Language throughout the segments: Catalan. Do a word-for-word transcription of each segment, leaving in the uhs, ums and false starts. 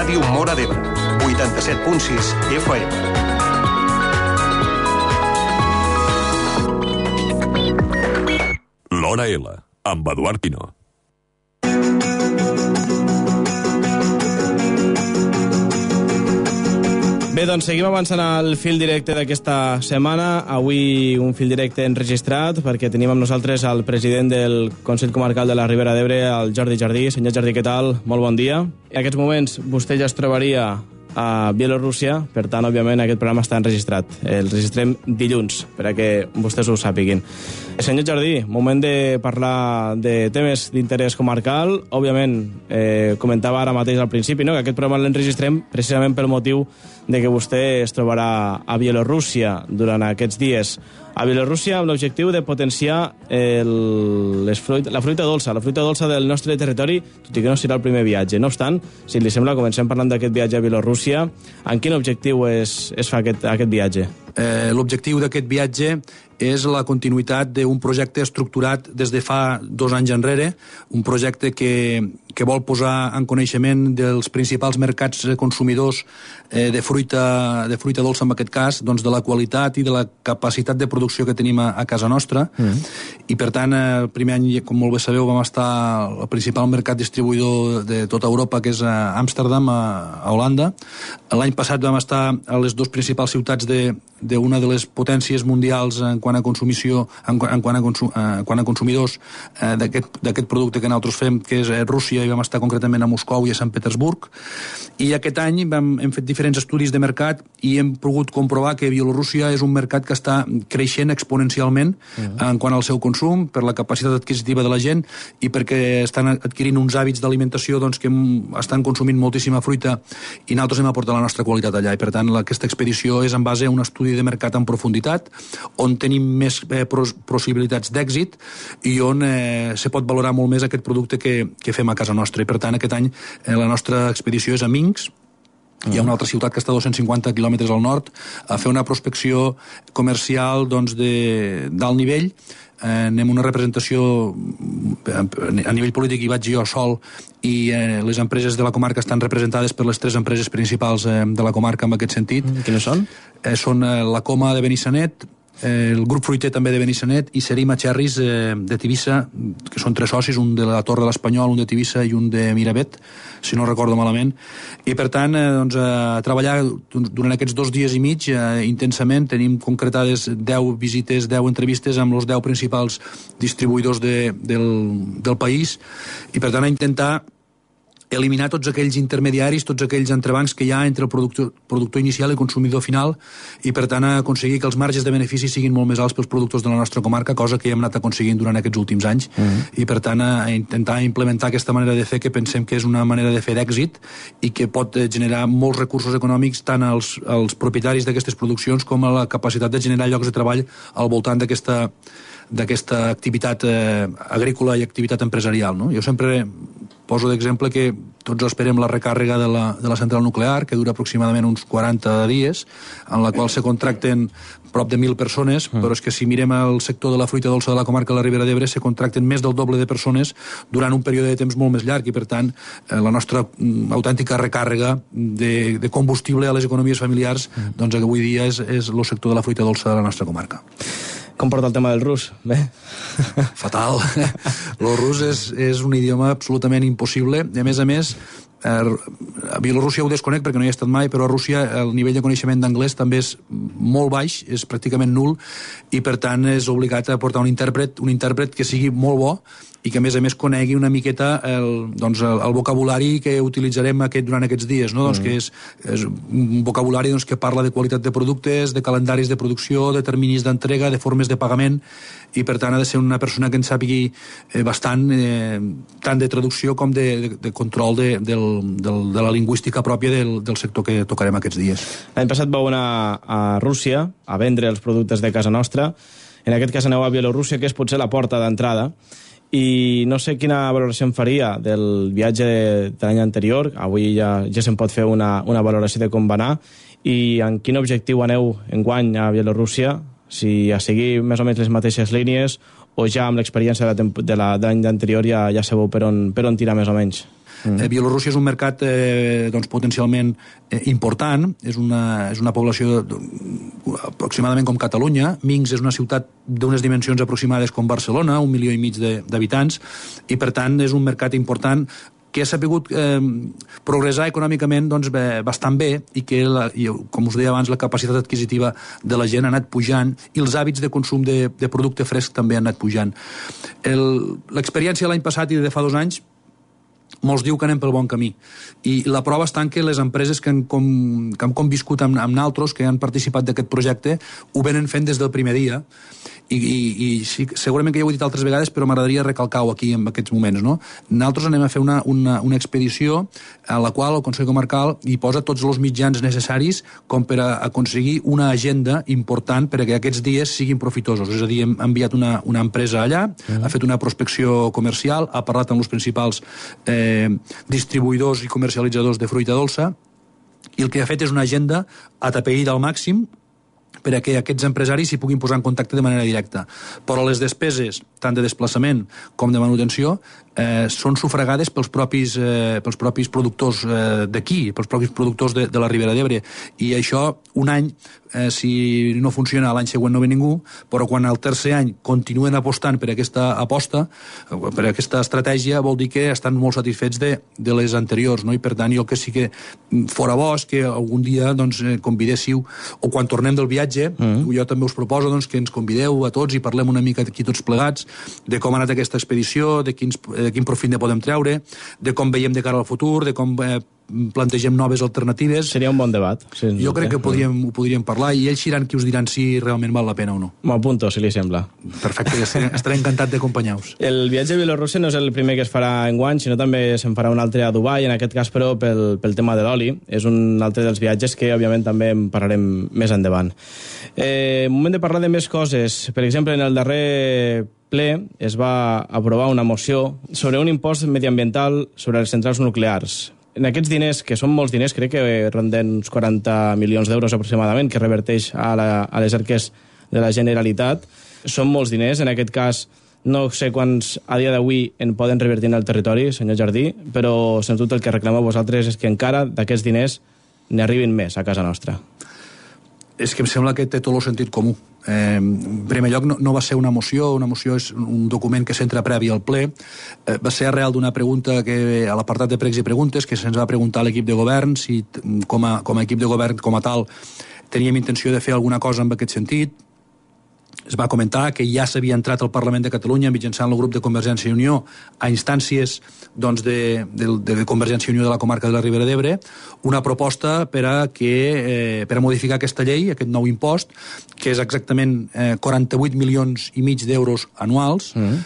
Ràdio Móra d'Ebre, vuitanta-set punt sis F M. L'Hora L, amb Eduard Pino. Bé, doncs seguim avançant al fil directe d'aquesta setmana. Avui un fil directe enregistrat perquè tenim amb nosaltres el president del Consell Comarcal de la Ribera d'Ebre, el Jordi Jardí. Senyor Jardí, què tal? Molt bon dia. En aquests moments vostè ja es trobaria a Bielorússia, per tant, òbviament, aquest programa està enregistrat. El registrem dilluns, per a que vostès ho sàpiguin. Senyor Jardí, moment de parlar de temes d'interès comarcal. Òbviament, eh, comentava ara mateix al principi, no?, que aquest programa l'enregistrem precisament pel motiu de que vostè es trobarà a Bielorússia durant aquests dies. A Bielorússia amb l'objectiu de potenciar el, les fruit, la fruita dolça, la fruita dolça del nostre territori, tot i que no serà el primer viatge. No obstant, si li sembla, comencem parlant d'aquest viatge a Bielorússia. En quin objectiu es, es fa aquest, aquest viatge? Eh, L'objectiu d'aquest viatge és la continuïtat d'un projecte estructurat des de fa dos anys enrere, un projecte que, que vol posar en coneixement dels principals mercats consumidors eh, de, fruita, de fruita dolça, en aquest cas, doncs de la qualitat i de la capacitat de producció que tenim a, a casa nostra. Mm. I, per tant, el primer any, com molt bé sabeu, vam estar al principal mercat distribuïdor de tota Europa, que és a Amsterdam, a, a Holanda. L'any passat vam estar a les dues principals ciutats de d'una de les potències mundials en quant a consumició, en, en quant a, consum, en quant a consumidors eh, d'aquest producte que nosaltres fem, que és Rússia, i vam estar concretament a Moscou i a Sant Petersburg. I aquest any vam, hem fet diferents estudis de mercat i hem pogut comprovar que Bielorússia és un mercat que està creixent exponencialment uh-huh. en quant al seu consum, per la capacitat adquisitiva de la gent i perquè estan adquirint uns hàbits d'alimentació doncs, que estan consumint moltíssima fruita i nosaltres hem aportat la nostra qualitat allà. I per tant, aquesta expedició és en base a un estudi de mercat en profunditat, on tenim més eh, possibilitats d'èxit i on eh, se pot valorar molt més aquest producte que, que fem a casa nostra. I per tant, aquest any eh, la nostra expedició és a Minsk. Hi ha una altra ciutat que està a dos-cents cinquanta quilòmetres al nord, a fer una prospecció comercial doncs, de, d'alt nivell. Eh, anem una representació a nivell polític, hi vaig jo sol, i eh, les empreses de la comarca estan representades per les tres empreses principals eh, de la comarca en aquest sentit. Mm, quines són? Eh, són eh, la Coma de Benissanet, eh, el grup fruiter també de Benissanet i Serima Cherries eh, de Tivissa, que són tres socis, un de la Torre de l'Espanyol, un de Tivissa i un de Miravet, si no recordo malament. I per tant, eh, doncs, a treballar durant aquests dos dies i mig eh, intensament. Tenim concretades deu visites, deu entrevistes amb els deu principals distribuïdors de, del, del país, i per tant a intentar eliminar tots aquells intermediaris, tots aquells entrebancs que hi ha entre el productor, productor inicial i consumidor final, i per tant aconseguir que els marges de benefici siguin molt més alts pels productors de la nostra comarca, cosa que hem anat aconseguint durant aquests últims anys, mm-hmm. i per tant a intentar implementar aquesta manera de fer que pensem que és una manera de fer d'èxit i que pot generar molts recursos econòmics tant als, als propietaris d'aquestes produccions com a la capacitat de generar llocs de treball al voltant d'aquesta d'aquesta activitat eh, agrícola i activitat empresarial, no? Jo sempre poso d'exemple que tots esperem la recàrrega de la, de la central nuclear, que dura aproximadament uns quaranta dies, en la qual se contracten prop de mil persones, mm. però és que si mirem el sector de la fruita dolça de la comarca de la Ribera d'Ebre, se contracten més del doble de persones durant un període de temps molt més llarg, i per tant eh, la nostra mm, autèntica recàrrega de, de combustible a les economies familiars, mm. doncs avui dia és, és el sector de la fruita dolça de la nostra comarca. Com porta el tema del rus? Bé. Fatal. El rus és, és un idioma absolutament impossible. I a més a més, a Bielorússia ho desconec perquè no hi he estat mai, però a Rússia el nivell de coneixement d'anglès també és molt baix, és pràcticament nul, i per tant és obligat a portar un intèrpret, un intèrpret que sigui molt bo i que a més a més conegui una miqueta el, doncs, el, el vocabulari que utilitzarem aquest, durant aquests dies, no? Mm. Doncs que és, és un vocabulari doncs, que parla de qualitat de productes, de calendaris de producció, de terminis d'entrega, de formes de pagament, i per tant ha de ser una persona que en sàpigui eh, bastant eh, tant de traducció com de, de, de control de, del, del, de la lingüística pròpia del, del sector que tocarem aquests dies. L'any passat vau anar a Rússia a vendre els productes de casa nostra. En aquest cas aneu a Bielorússia, que és potser la porta d'entrada, i no sé quina valoració em faria del viatge de l'any anterior. Avui ja, ja se'n pot fer una, una valoració de com va anar, i en quin objectiu aneu enguany a Bielorússia, si a seguir més o menys les mateixes línies o ja amb l'experiència de l'any anterior ja, ja sabeu per on, per on tirar més o menys. Mm. Eh, Bielorússia és un mercat eh, doncs, potencialment eh, important, és una, és una població de, de, aproximadament com Catalunya. Minsk és una ciutat d'unes dimensions aproximades com Barcelona, un milió i mig d'habitants, i per tant és un mercat important que ha sapigut eh, progressar econòmicament doncs, bé, bastant bé i que, la, i, com us deia abans, la capacitat adquisitiva de la gent ha anat pujant i els hàbits de consum de, de producte fresc també han anat pujant. L'experiència l'any passat i de fa dos anys molts diu que anem pel bon camí. I la prova està en que les empreses que han, com, que han conviscut amb, amb naltros, que han participat d'aquest projecte, ho venen fent des del primer dia. I, i, i sí, segurament que ja ho he dit altres vegades, però m'agradaria recalcar-ho aquí en aquests moments, no? Nosaltres anem a fer una, una, una expedició a la qual el Consell Comarcal hi posa tots els mitjans necessaris com per a aconseguir una agenda important per a que aquests dies siguin profitosos. És a dir, hem enviat una, una empresa allà, uh-huh. ha fet una prospecció comercial, ha parlat amb els principals eh, distribuïdors i comercialitzadors de fruita dolça, i el que ha fet és una agenda atapeïda al màxim per a que aquests empresaris s'hi puguin posar en contacte de manera directa. Però les despeses, tant de desplaçament com de manutenció, eh, són sufragades pels propis, eh, pels propis productors eh, d'aquí, pels propis productors de, de la Ribera d'Ebre. I això, un any, eh, si no funciona, l'any següent no ve ningú, però quan al tercer any continuen apostant per aquesta aposta, per aquesta estratègia, vol dir que estan molt satisfets de, de les anteriors, no? I per tant, jo que sí que fora bo és que algun dia doncs, convidéssiu, o quan tornem del viatge, Mm. jo també us proposo doncs, que ens convideu a tots i parlem una mica aquí tots plegats de com ha anat aquesta expedició, de, quins, de quin profit ne podem treure, de com veiem de cara al futur, de com eh, plantegem noves alternatives. Seria un bon debat. Sí, jo crec que podríem, ho podríem parlar i ells seran qui us diran si realment val la pena o no. M'apunto, si li sembla. Perfecte, estaré, estaré encantat d'acompanyar-vos. El viatge a Bielorússia no és el primer que es farà enguany, sinó també se'n farà un altre a Dubai, en aquest cas però pel, pel tema de l'oli. És un altre dels viatges que òbviament també en parlarem més endavant. Eh, moment de parlar de més coses. Per exemple, en el darrer ple es va aprovar una moció sobre un impost mediambiental sobre les centrals nuclears. En aquests diners, que són molts diners, crec que ronden uns quaranta milions d'euros aproximadament, que reverteix a, la, a les arques de la Generalitat, són molts diners. En aquest cas, no sé quants a dia d'avui en poden revertir en el territori, senyor Jardí, però sens dubte el que reclameu vosaltres és que encara d'aquests diners n'arribin més a casa nostra. És que em sembla que té tot el sentit comú. Eh, en primer lloc, no, no va ser una moció, una moció és un document que s'entra previ al ple, eh, va ser arrel d'una pregunta que a l'apartat de pregs i preguntes que se'ns va preguntar a l'equip de govern si com a, com a equip de govern com a tal teníem intenció de fer alguna cosa en aquest sentit. Es va comentar que ja s'havia entrat al Parlament de Catalunya mitjançant el grup de Convergència i Unió a instàncies doncs, de, de, de Convergència i Unió de la comarca de la Ribera d'Ebre una proposta per a, que, eh, per a modificar aquesta llei, aquest nou impost, que és exactament eh, quaranta-vuit milions i mig d'euros anuals, mm.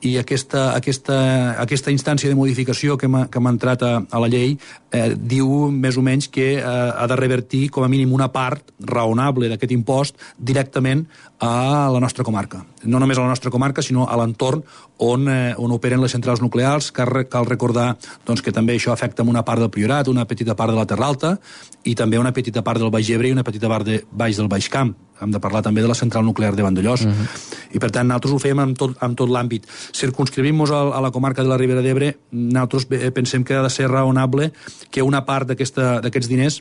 i aquesta, aquesta, aquesta instància de modificació que m'ha entrat a, a la llei eh, diu més o menys que eh, ha de revertir com a mínim una part raonable d'aquest impost directament a la nostra comarca. No només a la nostra comarca, sinó a l'entorn on, eh, on operen les centrals nuclears. Cal, cal recordar doncs, que també això afecta una part del Priorat, una petita part de la Terra Alta i també una petita part del Baix Ebre i una petita part de baix del Baix Camp. Hem de parlar també de la central nuclear de Vandellòs. Uh-huh. I per tant, nosaltres ho fem amb tot, amb tot l'àmbit. Circunscrivim-nos a, a la comarca de la Ribera d'Ebre, nosaltres pensem que ha de ser raonable que una part d'aquests diners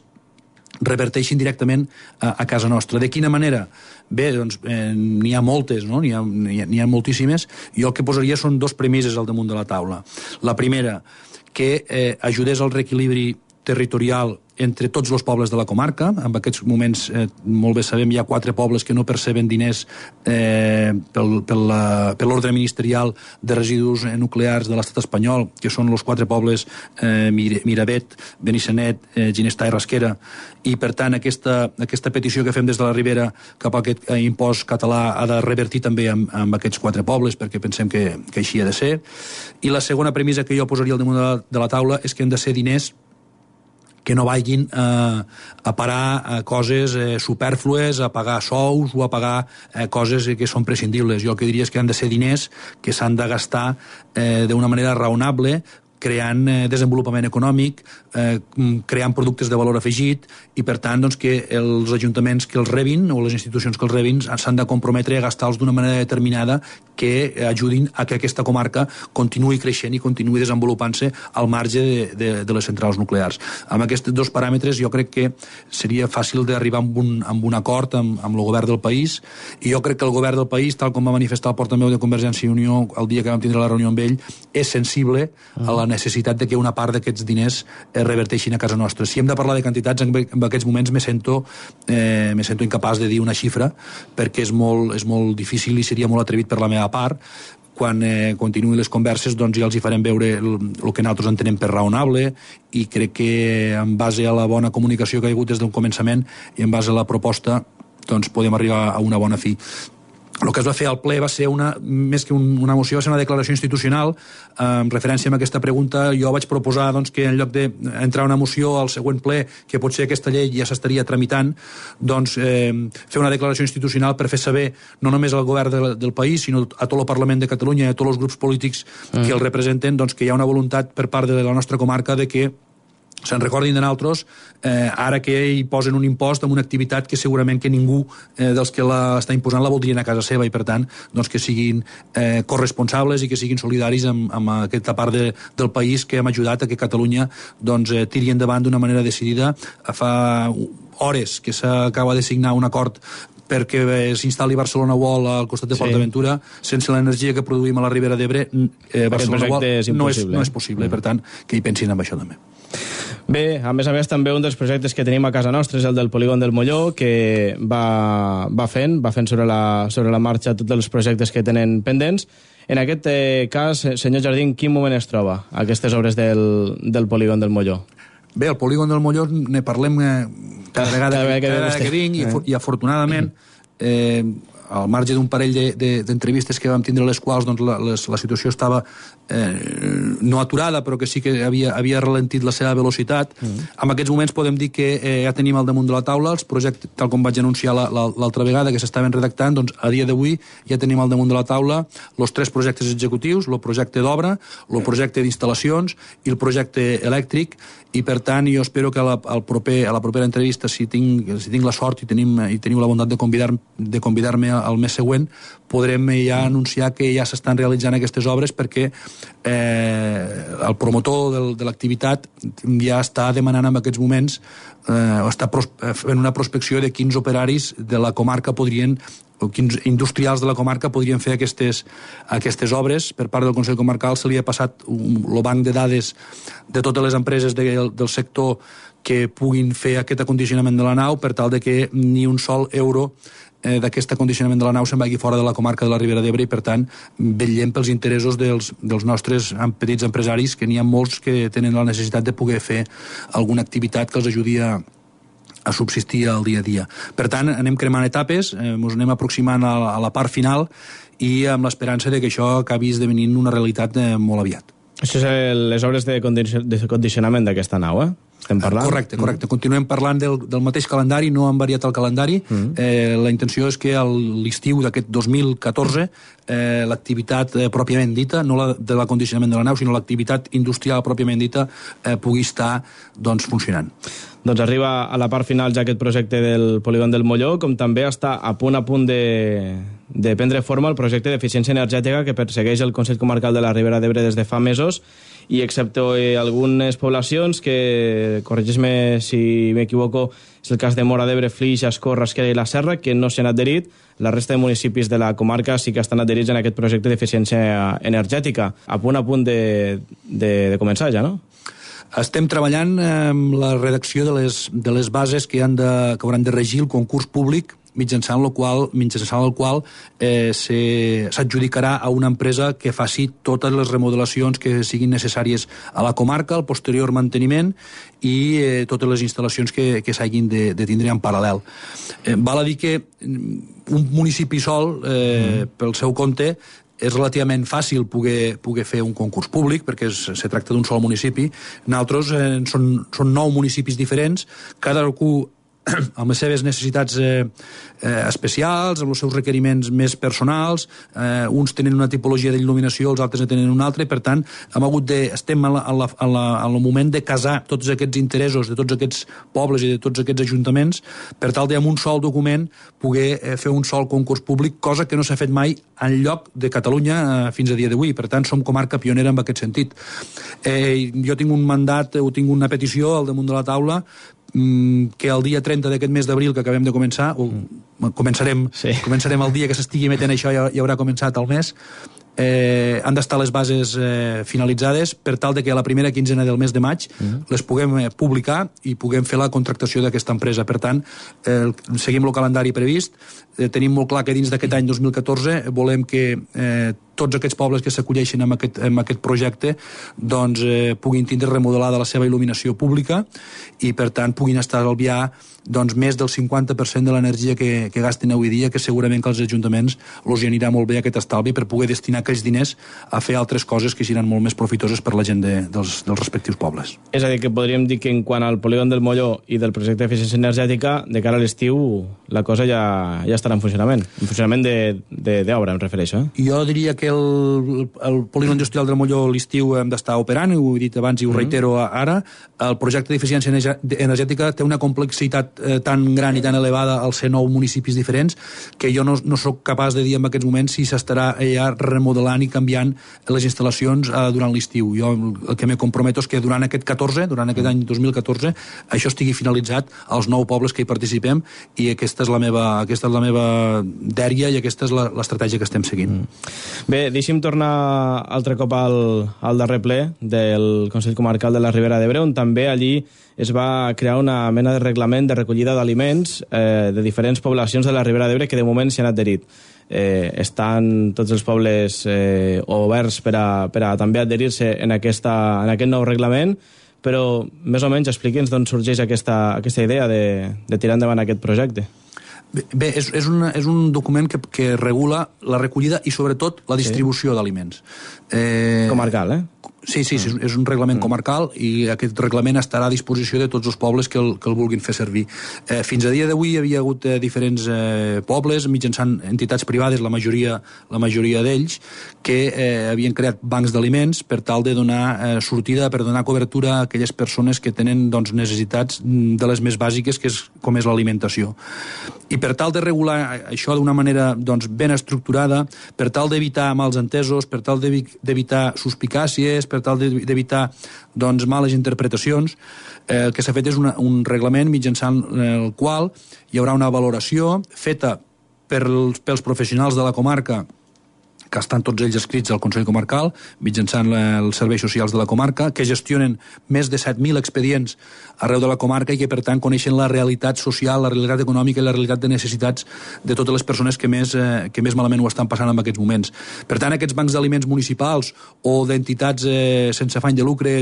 reverteixin directament a, a casa nostra. De quina manera? Bé, doncs eh, n'hi ha moltes, no? N'hi ha, n'hi ha, n'hi ha moltíssimes. Jo el que posaria són dos premisses al damunt de la taula. La primera, que eh, ajudés al reequilibri territorial entre tots els pobles de la comarca. En aquests moments, eh, molt bé sabem, hi ha quatre pobles que no perceben diners eh, pel, pel, per l'ordre ministerial de residus nuclears de l'estat espanyol, que són els quatre pobles eh, Miravet, Benissanet, eh, Ginestar i Rasquera. I, per tant, aquesta, aquesta petició que fem des de la Ribera cap a aquest eh, impost català ha de revertir també amb, amb aquests quatre pobles, perquè pensem que, que així ha de ser. I la segona premissa que jo posaria al damunt de la, de la taula és que han de ser diners que no vagin eh, a parar a coses eh, supèrflues, a pagar sous o a pagar eh, coses que són prescindibles. Jo el que diria és que han de ser diners que s'han de gastar eh, d'una manera raonable, creant eh, desenvolupament econòmic, eh, creant productes de valor afegit, i per tant doncs, que els ajuntaments que els rebin o les institucions que els rebin s'han de comprometre a gastar-los d'una manera determinada que ajudin a que aquesta comarca continuï creixent i continuï desenvolupant-se al marge de, de, de les centrals nuclears. Amb aquests dos paràmetres jo crec que seria fàcil d'arribar amb un, amb un acord amb, amb el govern del país, i jo crec que el govern del país, tal com va manifestar el portaveu de Convergència i Unió el dia que vam tindre la reunió amb ell, és sensible a la necessitat de que una part d'aquests diners es reverteixin a casa nostra. Si hem de parlar de quantitats, en, en aquests moments me sento, eh, me sento incapaç de dir una xifra, perquè és molt, és molt difícil i seria molt atrevit per la meva part. Quan eh, continuïn les converses doncs ja els hi farem veure el, el que nosaltres entenem per raonable, i crec que en base a la bona comunicació que hi ha hagut des del començament i en base a la proposta doncs podem arribar a una bona fi. El que es va fer al ple va ser una, més que un, una moció, va ser una declaració institucional. En referència a aquesta pregunta, jo vaig proposar doncs, que en lloc d'entrar una moció al següent ple, que potser aquesta llei ja s'estaria tramitant, doncs eh, fer una declaració institucional per fer saber no només al govern de, del país, sinó a tot el Parlament de Catalunya i a tots els grups polítics mm. que el representen, doncs, que hi ha una voluntat per part de la nostra comarca de que se'n recordin de nosaltres, eh, ara que hi posen un impost en una activitat que segurament que ningú eh, dels que l'està imposant la voldrien a casa seva, i per tant doncs, que siguin eh, corresponsables i que siguin solidaris amb, amb aquesta part de, del país que hem ajudat a que Catalunya doncs, eh, tiri endavant d'una manera decidida. Fa hores que s'acaba de signar un acord perquè s'instal·li Barcelona World al costat de sí. Port Aventura. Sense l'energia que produïm a la Ribera d'Ebre, eh, Barcelona World és no, és, no és possible, mm. per tant que hi pensin en això també. Bé, a més a més també un dels projectes que tenim a casa nostra és el del polígon del Molló, que va, va fent, va fent sobre la, sobre la marxa tots els projectes que tenen pendents. En aquest eh, cas, senyor Jardí, en quin moment es troba aquestes obres del, del polígon del Molló? Bé, el polígon del Molló ne parlem eh, cada vegada, cada vegada que, cada vegada que vinc, i, i afortunadament eh, al marge d'un parell d'entrevistes de, de, que vam tindre, les quals doncs, la, les, la situació estava eh, no aturada, però que sí que havia, havia ralentit la seva velocitat. Mm. En aquests moments podem dir que eh, ja tenim al damunt de la taula els projectes, tal com vaig anunciar l'altra la, vegada, que s'estaven redactant, doncs a dia d'avui ja tenim al damunt de la taula els tres projectes executius, el projecte d'obra, el projecte d'instal·lacions i el projecte elèctric, i per tant jo espero que a la, al proper, a la propera entrevista, si tinc, si tinc la sort i, tenim, i teniu la bondat de convidar-me de convidar-me al mes següent, podrem ja anunciar que ja s'estan realitzant aquestes obres, perquè eh, el promotor del, de l'activitat ja està demanant en aquests moments eh, o està pros, fent una prospecció de quins operaris de la comarca podrien, o quins industrials de la comarca podrien fer aquestes, aquestes obres. Per part del Consell Comarcal se li ha passat el banc de dades de totes les empreses de, del sector que puguin fer aquest acondicionament de la nau, per tal de que ni un sol euro eh, d'aquest acondicionament de la nau se'n vagi fora de la comarca de la Ribera d'Ebre, i per tant vetllem pels interessos dels, dels nostres petits empresaris, que n'hi ha molts que tenen la necessitat de poder fer alguna activitat que els ajudi a a subsistir al dia a dia. Per tant, anem cremant etapes, eh, ens anem aproximant a la, a la part final, i amb l'esperança de que això acabi esdevenint una realitat eh, molt aviat. Això és el, les obres de, condici de condicionament d'aquesta nau, eh? Estem parlant? Correcte, correcte. Mm. Continuem parlant del, del mateix calendari, no han variat el calendari. Mm. Eh, la intenció és que a l'estiu d'aquest dos mil catorze eh, l'activitat eh, pròpiament dita, no la de l'acondicionament de la nau, sinó l'activitat industrial pròpiament dita, eh, pugui estar doncs, funcionant. Doncs arriba a la part final ja aquest projecte del polígon del Molló, com també està a punt a punt de, de prendre forma el projecte d'eficiència energètica que persegueix el Consell Comarcal de la Ribera d'Ebre des de fa mesos, i excepte algunes poblacions que, corregeix-me si m'equivoco, és el cas de Móra d'Ebre, Flix, Ascó, Rasquera i la Serra, que no s'hi han adherit. La resta de municipis de la comarca sí que estan adherits en aquest projecte d'eficiència energètica. A punt a punt de, de, de començar ja, no? Estem treballant amb la redacció de les, de les bases que, han de, que hauran de regir el concurs públic, mitjançant el qual, mitjançant el qual eh, s'adjudicarà a una empresa que faci totes les remodelacions que siguin necessàries a la comarca, el posterior manteniment i eh, totes les instal·lacions que, que s'hagin de, de tindre en paral·lel. Eh, val a dir que un municipi sol, eh, mm. pel seu compte, és relativament fàcil poder, poder fer un concurs públic, perquè es, se tracta d'un sol municipi. Nosaltres eh, són, són nou municipis diferents, cada amb les seves necessitats eh, eh, especials, amb els seus requeriments més personals, eh, uns tenen una tipologia d'il·luminació, els altres en tenen una altra, i per tant hem hagut de, estem en el moment de casar tots aquests interessos de tots aquests pobles i de tots aquests ajuntaments per tal de, amb un sol document, poder eh, fer un sol concurs públic, cosa que no s'ha fet mai en lloc de Catalunya eh, fins a dia d'avui. Per tant, som comarca pionera en aquest sentit. Eh, jo tinc un mandat, o tinc una petició al damunt de la taula que el dia trenta d'aquest mes d'abril que acabem de començar, o començarem, sí. començarem el dia que s'estigui emetent això, ja, ja haurà començat el mes, eh, han d'estar les bases eh, finalitzades per tal de que a la primera quinzena del mes de maig mm. les puguem eh, publicar i puguem fer la contractació d'aquesta empresa. Per tant, eh, seguim el calendari previst, eh, tenim molt clar que dins d'aquest any dos mil catorze volem que eh, tots aquests pobles que s'acolleixin amb aquest, amb aquest projecte doncs, eh, puguin tindre remodelada la seva il·luminació pública i, per tant, puguin estalviar doncs, més del cinquanta per cent de l'energia que, que gasten avui dia, que segurament que als ajuntaments els hi anirà molt bé aquest estalvi per poder destinar aquells diners a fer altres coses que seran molt més profitoses per la gent de, dels, dels respectius pobles. És a dir, que podríem dir que en quant al polígon del Molló i del projecte d'eficiència energètica, de cara a l'estiu, la cosa ja, ja estarà en funcionament. En funcionament d'obra, em refereixo. Eh? Jo diria que el, el polígon industrial del Molló l'estiu hem d'estar operant, ho he dit abans i ho reitero ara. El projecte d'eficiència energètica té una complexitat eh, tan gran i tan elevada als cent nou municipis diferents que jo no, no sóc capaç de dir en aquests moments si s'estarà ja remodelant i canviant les instal·lacions eh, durant l'estiu. Jo el que me comprometo és que durant aquest catorze, durant aquest any dos mil catorze, això estigui finalitzat als nou pobles que hi participem i aquesta és la meva, aquesta és la meva dèria i aquesta és l'estratègia que estem seguint. Mm. Bé, deixi'm tornar altre cop al, al darrer ple del Consell Comarcal de la Ribera d'Ebre, on també allí es va crear una mena de reglament de recollida d'aliments eh, de diferents poblacions de la Ribera d'Ebre que de moment s'hi han adherit. Eh, estan tots els pobles eh, oberts per a, per a també adherir-se en, aquesta, en aquest nou reglament, però més o menys expliqui'ns d'on sorgeix aquesta, aquesta idea de, de tirar endavant aquest projecte. Bé, és, és, un, és un document que, que regula la recollida i sobretot la distribució sí. d'aliments. Eh... Comarcal, eh? Sí, sí, sí, és un reglament comarcal i aquest reglament estarà a disposició de tots els pobles que el, que el vulguin fer servir. Eh, fins a dia d'avui hi havia hagut eh, diferents eh, pobles, mitjançant entitats privades, la majoria, la majoria d'ells, que eh, havien creat bancs d'aliments per tal de donar eh, sortida, per donar cobertura a aquelles persones que tenen doncs, necessitats de les més bàsiques, que és com és l'alimentació. I per tal de regular això d'una manera doncs, ben estructurada, per tal d'evitar mals entesos, per tal d'evitar suspicàcies, per tal d'evitar doncs, males interpretacions, eh, el que s'ha fet és una, un reglament mitjançant el qual hi haurà una valoració feta per, pels professionals de la comarca, que estan tots ells escrits al Consell Comarcal, mitjançant la, els serveis socials de la comarca, que gestionen més de set mil expedients arreu de la comarca i que, per tant, coneixen la realitat social, la realitat econòmica i la realitat de necessitats de totes les persones que més, eh, que més malament ho estan passant en aquests moments. Per tant, aquests bancs d'aliments municipals o d'entitats eh, sense afany de lucre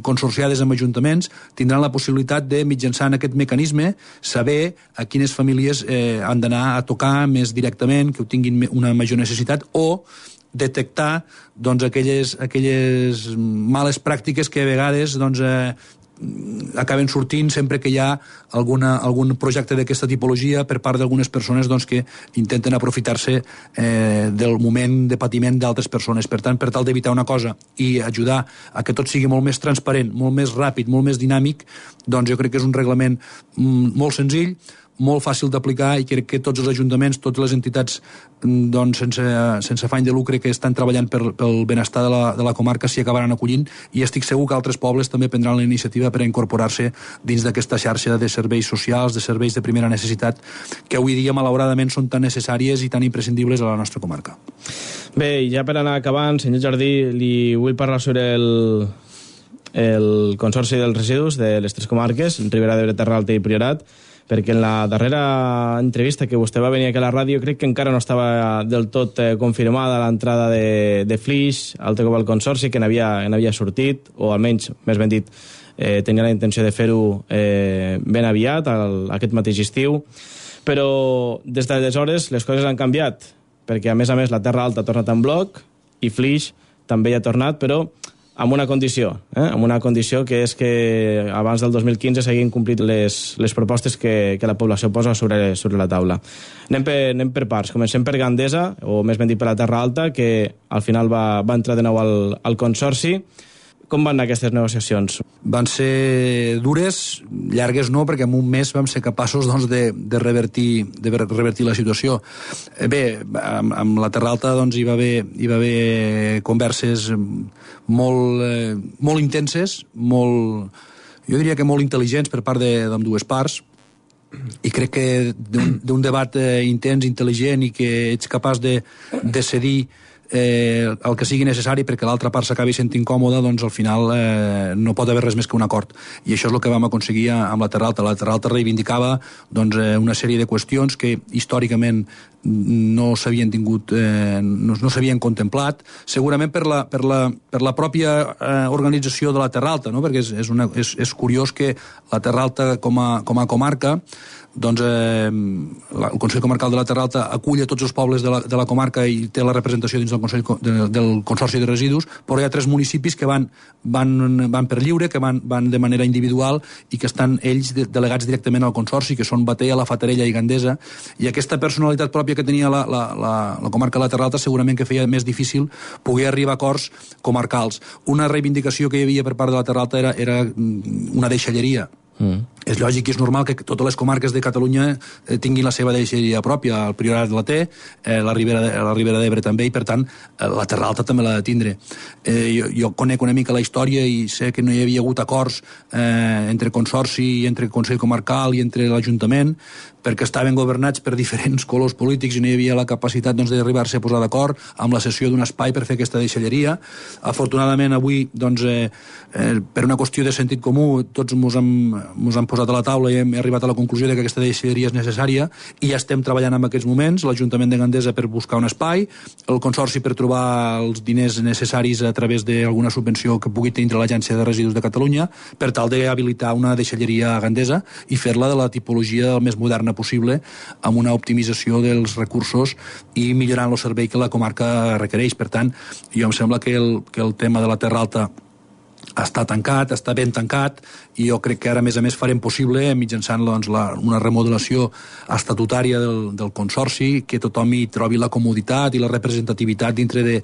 consorciades amb ajuntaments tindran la possibilitat de, mitjançant aquest mecanisme, saber a quines famílies eh, han d'anar a tocar més directament, que ho tinguin una major necessitat, o o detectar doncs, aquelles, aquelles males pràctiques que a vegades doncs, eh, acaben sortint sempre que hi ha alguna, algun projecte d'aquesta tipologia per part d'algunes persones doncs, que intenten aprofitar-se eh, del moment de patiment d'altres persones. Per tant, per tal d'evitar una cosa i ajudar a que tot sigui molt més transparent, molt més ràpid, molt més dinàmic, doncs jo crec que és un reglament mm, molt senzill, molt fàcil d'aplicar i crec que tots els ajuntaments, totes les entitats doncs, sense, sense afany de lucre que estan treballant per, pel benestar de la, de la comarca s'hi acabaran acollint i estic segur que altres pobles també prendran la iniciativa per a incorporar-se dins d'aquesta xarxa de serveis socials, de serveis de primera necessitat que avui dia malauradament són tan necessàries i tan imprescindibles a la nostra comarca. Bé, ja per anar acabant, senyor Jardí, li vull parlar sobre el, el Consorci dels Residus de les tres comarques, Ribera d'Ebre, Terra Alta i Priorat, perquè en la darrera entrevista que vostè va venir aquí a la ràdio crec que encara no estava del tot eh, confirmada l'entrada de, de Flix, altre cop al Consorci, que n'havia n'havia sortit, o almenys, més ben dit, eh, tenia la intenció de fer-ho eh, ben aviat, al, aquest mateix estiu, però des d'aleshores les coses han canviat, perquè a més a més la Terra Alta ha tornat en bloc i Flix també hi ha tornat, però amb una condició, eh? amb una condició que és que abans del dos mil quinze s'hagin complit les, les propostes que, que la població posa sobre, sobre la taula. Anem per, anem per parts. Comencem per Gandesa, o més ben dit per la Terra Alta, que al final va, va entrar de nou al, al Consorci. Com van anar aquestes negociacions? Van ser dures, llargues no, perquè en un mes vam ser capaços doncs, de, de, revertir, de revertir la situació. Bé, amb, amb la Terra Alta doncs, hi, va haver, hi va haver converses molt, eh, molt intenses, molt, jo diria que molt intel·ligents per part d'ambdues parts, i crec que d'un debat eh, intens, intel·ligent, i que ets capaç de, de cedir Eh, el que sigui necessari perquè l'altra part s'acabi sentint còmoda, doncs al final eh, no pot haver res més que un acord. I això és el que vam aconseguir amb la Terra Alta. La Terra Alta reivindicava doncs, eh, una sèrie de qüestions que històricament no s'havien tingut, eh, no, no s'havien contemplat, segurament per la, per la, per la pròpia eh, organització de la Terra Alta, no? Perquè és, és, una, és, és curiós que la Terra Alta com a, com a comarca, doncs eh, el Consell Comarcal de la Terra Alta acull a tots els pobles de la, de la comarca i té la representació dins del, Consell, de, del Consorci de Residus, però hi ha tres municipis que van, van, van per lliure, que van, van de manera individual i que estan ells de, delegats directament al Consorci, que són Batea, La Fatarella i Gandesa, i aquesta personalitat pròpia que tenia la, la, la, la comarca de la Terra Alta segurament que feia més difícil poder arribar a acords comarcals. Una reivindicació que hi havia per part de la Terra Alta era, era una deixalleria. Mm. És lògic i és normal que totes les comarques de Catalunya eh, tinguin la seva deixalleria pròpia. El Priorat la té, eh, la Ribera de, la Ribera d'Ebre també, i per tant eh, la Terra Alta també l'ha de tindre. Eh, jo, jo conec una mica la història i sé que no hi havia hagut acords eh, entre Consorci i entre Consell Comarcal i entre l'Ajuntament, perquè estaven governats per diferents colors polítics i no hi havia la capacitat doncs, d'arribar-se a posar d'acord amb la cessió d'un espai per fer aquesta deixalleria. Afortunadament avui, doncs, eh, eh, per una qüestió de sentit comú, tots mos hem, mos hem posat a la taula i hem arribat a la conclusió de que aquesta deixalleria és necessària i ja estem treballant en aquests moments, l'Ajuntament de Gandesa per buscar un espai, el Consorci per trobar els diners necessaris a través d'alguna subvenció que pugui tenir l'Agència de Residus de Catalunya per tal d'habilitar una deixalleria a Gandesa i fer-la de la tipologia més moderna possible, amb una optimització dels recursos i millorant el servei que la comarca requereix. Per tant, jo em sembla que el, que el tema de la Terra Alta està tancat, està ben tancat, i jo crec que ara, a més a més, farem possible, mitjançant doncs, la, una remodelació estatutària del, del Consorci, que tothom hi trobi la comoditat i la representativitat dintre de,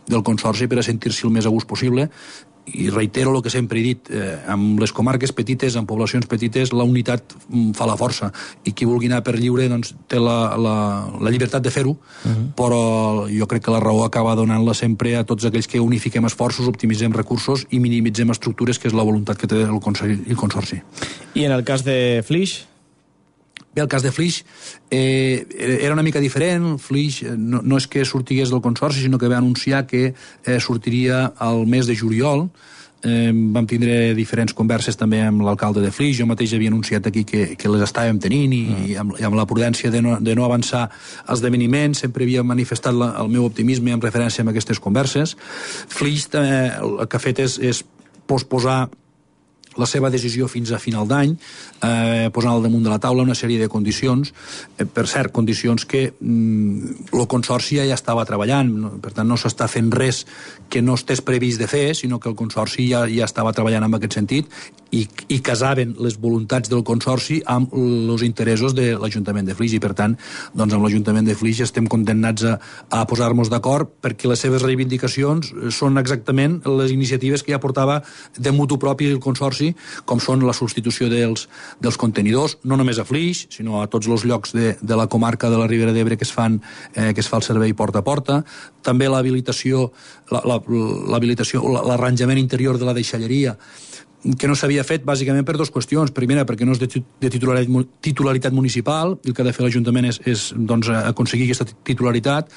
del Consorci per a sentir-s'hi el més a gust possible. I reitero el que sempre he dit, eh, amb les comarques petites, amb poblacions petites, la unitat fa la força, i qui vulgui anar per lliure doncs, té la, la, la llibertat de fer-ho, uh-huh. Però jo crec que la raó acaba donant-la sempre a tots aquells que unifiquem esforços, optimitzem recursos i minimitzem estructures, que és la voluntat que té el Consell i el Consorci. I en el cas de Flix? Bé, el cas de Flix eh, era una mica diferent. Flix no, no és que sortigués del Consorci, sinó que va anunciar que eh, sortiria al mes de juliol. Eh, vam tindre diferents converses també amb l'alcalde de Flix. Jo mateix havia anunciat aquí que, que les estàvem tenint i, mm. i, amb, i amb la prudència de no, de no avançar esdeveniments. Sempre havia manifestat la, el meu optimisme en referència a aquestes converses. Flix eh, el que ha fet és, és posposar la seva decisió fins a final d'any, eh, posant al damunt de la taula una sèrie de condicions, eh, per cert, condicions que mm, el Consorci ja estava treballant, no? Per tant no s'està fent res que no estés previst de fer, sinó que el Consorci ja, ja estava treballant en aquest sentit, i, i casaven les voluntats del Consorci amb els interessos de l'Ajuntament de Flix, i per tant, doncs amb l'Ajuntament de Flix estem condemnats a, a posar-nos d'acord, perquè les seves reivindicacions són exactament les iniciatives que ja portava de mutu propi el Consorci, com són la substitució dels, dels contenidors, no només a Flix, sinó a tots els llocs de, de la comarca de la Ribera d'Ebre que es fan, eh, que es fa el servei porta a porta, també l'habilitació, la, la, l'habilitació, l'arranjament interior de la deixalleria, que no s'havia fet bàsicament per dues qüestions. Primera, perquè no és de titularitat, titularitat municipal, i el que ha de fer l'Ajuntament és, és doncs, aconseguir aquesta titularitat,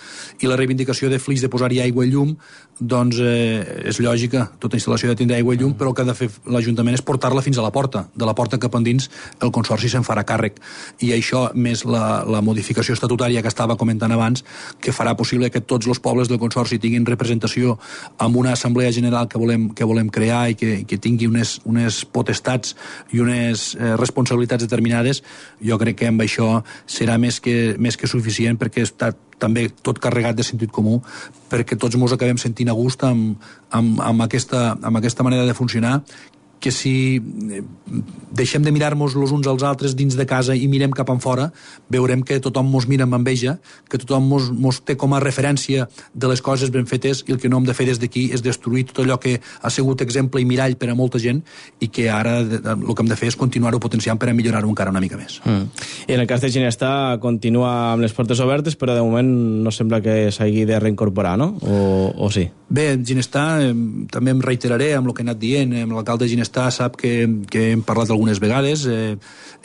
i la reivindicació de Flix de posar-hi aigua i llum, doncs eh, és lògica, tota instal·lació ha de tindre aigua i llum, però el que ha de fer l'Ajuntament és portar-la fins a la porta. De la porta cap endins el Consorci se'n farà càrrec, i això, més la, la modificació estatutària que estava comentant abans, que farà possible que tots els pobles del Consorci tinguin representació amb una assemblea general que volem, que volem crear, i que, que tingui unes unes, unes potestats i unes eh, responsabilitats determinades, jo crec que amb això serà més que, més que suficient, perquè està també tot carregat de sentit comú, perquè tots ens acabem sentint a gust amb, amb, amb, aquesta, amb aquesta manera de funcionar, que si deixem de mirar-nos els uns als altres dins de casa i mirem cap enfora, veurem que tothom mos mira amb enveja, que tothom mos, mos té com a referència de les coses ben fetes, i el que no hem de fer des d'aquí és destruir tot allò que ha sigut exemple i mirall per a molta gent, i que ara el que hem de fer és continuar-ho potenciant per a millorar-ho encara una mica més. Mm. I en el cas de Ginestar continua amb les portes obertes, però de moment no sembla que s'hagi de reincorporar, no? O, o sí? Bé, Ginestar, eh, també em reiteraré amb el que he anat dient, amb l'alcalde de Ginestar sap que, que hem parlat algunes vegades, eh,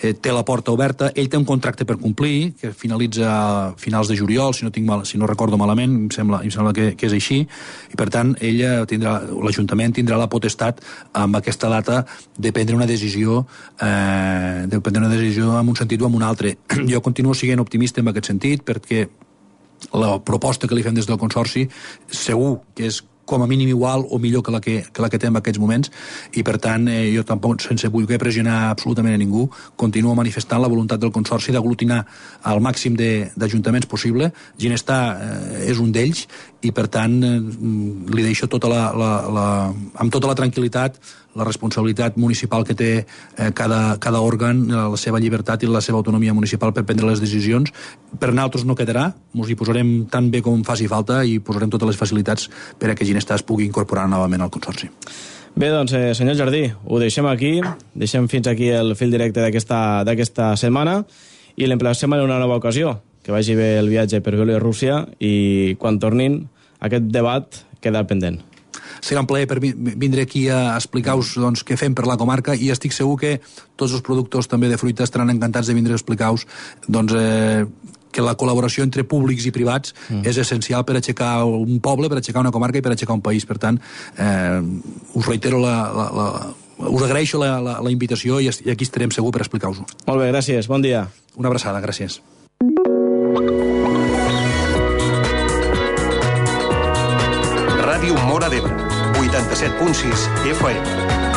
eh, té la porta oberta, ell té un contracte per complir, que finalitza a finals de juliol, si no, tinc mal, si no recordo malament, em sembla, em sembla que, que és així, i per tant ella tindrà, l'Ajuntament tindrà la potestat amb aquesta data de prendre una decisió, eh, de prendre una decisió en un sentit o en un altre. Jo continuo sent optimista en aquest sentit, perquè la proposta que li fem des del Consorci segur que és com a mínim igual o millor que la que, que, la que té en aquests moments, i per tant eh, jo tampoc, sense voler pressionar absolutament a ningú, continuo manifestant la voluntat del Consorci d'aglutinar al màxim d'ajuntaments possible. Ginestar eh, és un d'ells, i per tant eh, li deixo tota la, la, la, amb tota la tranquil·litat la responsabilitat municipal que té eh, cada, cada òrgan, la seva llibertat i la seva autonomia municipal per prendre les decisions. Per nosaltres no quedarà, ens hi posarem tan bé com faci falta i posarem totes les facilitats per a que Ginestar es pugui incorporar novament al Consorci. Bé, doncs, eh, senyor Jardí, ho deixem aquí, deixem fins aquí el fil directe d'aquesta setmana i l'emplacem en una nova ocasió. Que vagi bé el viatge per Bielorússia i quan tornin aquest debat queda pendent. Serà un plaer per vindre aquí a explicar-vos doncs, què fem per la comarca, i estic segur que tots els productors també de fruita estaran encantats de vindre a explicar-vos doncs, eh, que la col·laboració entre públics i privats mm. és essencial per aixecar un poble, per aixecar una comarca i per aixecar un país. Per tant, eh, us reitero la, la, la, us agraeixo la, la, la invitació, i aquí estarem segur per explicar-vos-ho. Molt bé, gràcies. Bon dia. Una abraçada, gràcies. Ràdio Móra d'Ebre, vuitanta-set punt sis F M.